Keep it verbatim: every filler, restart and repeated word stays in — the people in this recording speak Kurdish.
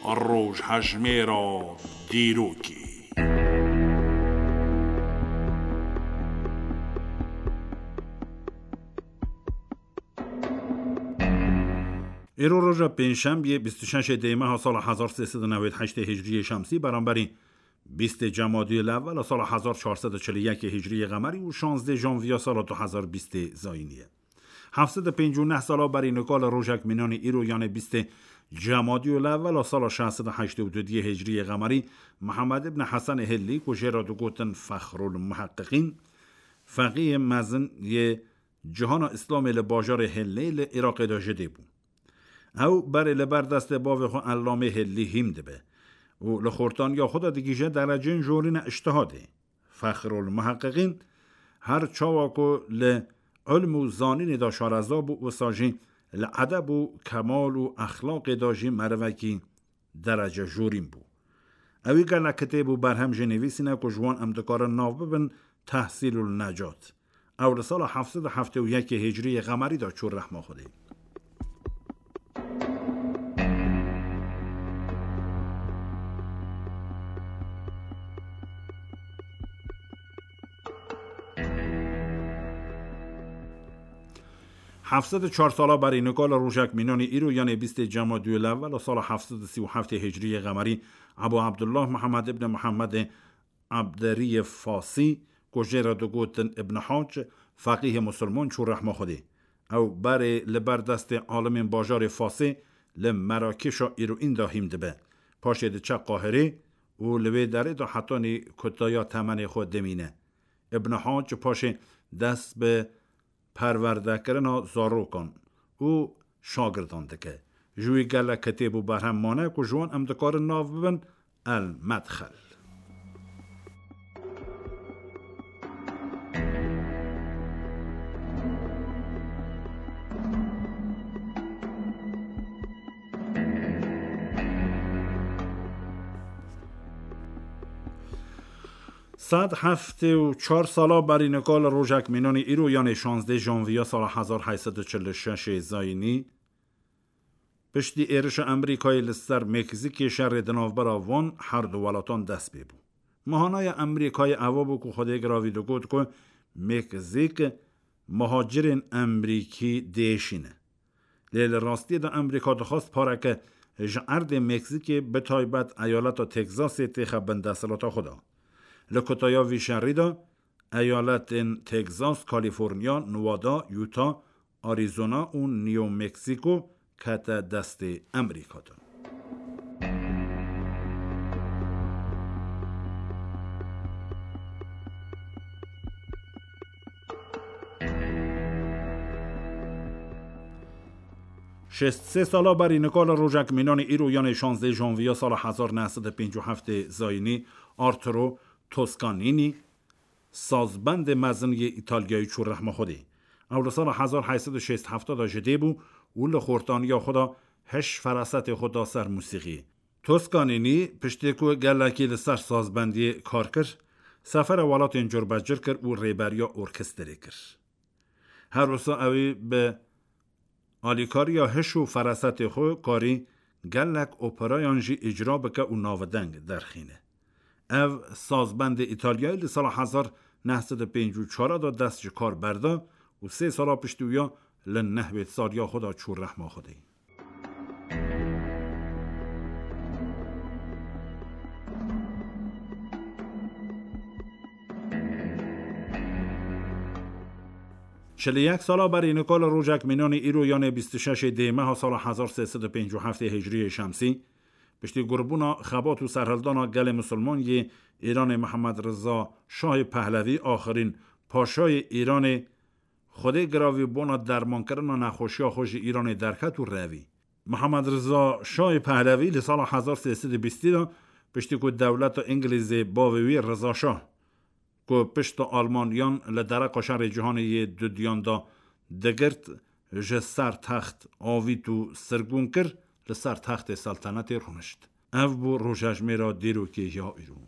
Rojhejmêra dîrokê. Îro roja pêncşembiyê, bîst û şeş dêmeha sala hezar sê sed û newêd heştê hicriyê şemsî, beramberî bîstê Cemadiyê Lewela sala hezar çar sed û çil û yekê hicriyê qemerî û şazdê janviya sala du hezar bîstê zayînî ye. Heft sed û pêncî û neh sala berî nika li rojek mînanî îro, yanê bîstê Cemadiyê Lewela sala şeş sed û heştê û duyê hicriyê qemerî, Mihemed ibn Hesenê Hillî, ku jê re digotin Fexrul Muheqiqîn, feqîhê mezin yê cihana Îslamê li bajarê Hillê li Iraqê de ji dê bû. Ew berê li ber destê bavê xwe Ellamê Hillî hîm dibe û li xortaniya xwe de digihîje dereceyên jorîne îctihadê. Fexrul Muheqiqîn her çawa ku li ilm û zanînê de şareza bû, wisa jî li edeb û kemal û exlaqê de jî merivekî derece jorîn bû. Ewî gelek kitêb û berhem jî nivîsîne ku ji wan em dikarin nav bibin Tehsîlul Necat. Ew li sala heft sed û heftê û yekê hicriyê qemerî de çû rehma Xwedê. Heft sed û çar sala berî nika li rojek mînanî îro, yanê bîstê Cemadiyê Lewela sala heft sed û sî û heftê hicriyê qemerî, Ebû Ebdullah Mihemed ibn Mihemedê Ebderiyê Fasî, ku jê re digotin Ibn Hac, feqîhê musulman, çû rehma Xwedê. Ew berê li ber destê alimên bajarê Fasê li Merakêşa îroîn de hîm dibe. Paşê diçe Qahirê û li wê derê de hetanî kutaya temenê xwe dimîne. Ibn Hac paşê dest bi perwerdekirina zarokan û şagirdan dike. Ji wî gelek kitêb û berhem mane ku ji wan em dikarin nav bibin El Medxel. Sed heftê û çar sala berî nika li rojek mînanî îro, yanê şazdê janviya sala hezar heyt sed û çil û şeş zayînî, piştî êrişa Amerîkayê li ser Meksîkê, şerê di navbera van her du welatan dest pê bû. Mahanaya Amerîkayê eva bû ku Xwedê giravî digot ku Meksîk muhacirên Amerîkî diêşîne. Lê li rastiyê de Amerîka dixwest pareke ji erdê Meksîkê, bi taybet eyaleta Texasê, têxe bin desthilata xwe de. Li kutaya vî şerî de eyaletên Texas, California, Nevada, Utah, Arizona û New Mexico kete destê Amerîka de. Şêst sê sala berî nika li rojek mînanî îro, yanê şazdê janviya sala hezar neh sed û pêncî û heftê zayînî, Arturo Toscanini, sazbendê mezin yê Îtalyayî, çû rehma Xwedê. Ew li sala hezar heyt sed û şêst hefta de ji dê bû û li xortaniya xwe de hiş ferasetê xwe da ser musîxiyê. Toscanini piştê ku gelekî li ser sazbendiyê kar kir, sefera welatên curbecur kir û rêberiya orkestrê kir. Her wisa ewî bi alîkariya hiş û ferasetê xwe karî gelek operayan jî îcra bike û navdeng derxîne. Ev sazbendê Îtalyayî li sala hezar neh sed û pêncî û çar de dest ji kar berda û sê sala piştî wî ya li nehwêd saliya xwe de çû rehma Xwedê. Çil û yek sala berî nika li rojek mînanî îro, yanê bîst û şeşê dêmeha sala hezar sê sed û pêncî û heftê hicriyê şemsî, piştî gurbûna xebat û serhildana gelê misilman yê Îranê Mihemed Riza Şahê Pehlevî, axirîn paşayê Îranê, Xwedê giravî bona dermankirina nexweşiya xwe ji Îranê derket û revî. Mihemed Riza Şahê Pehlevî li sala hezar sê sed û bîstî de, piştî ku dewleta Îngilîzê bavê wî Riza Şah, ku pişta Almaniyan li dereqa şerê cîhanê yê dudiyan de digirt, ji ser text avît û sirgûn kir, li ser textê seltenetê rûnişt. Ev bû rojejmêra dîrokê ya îro.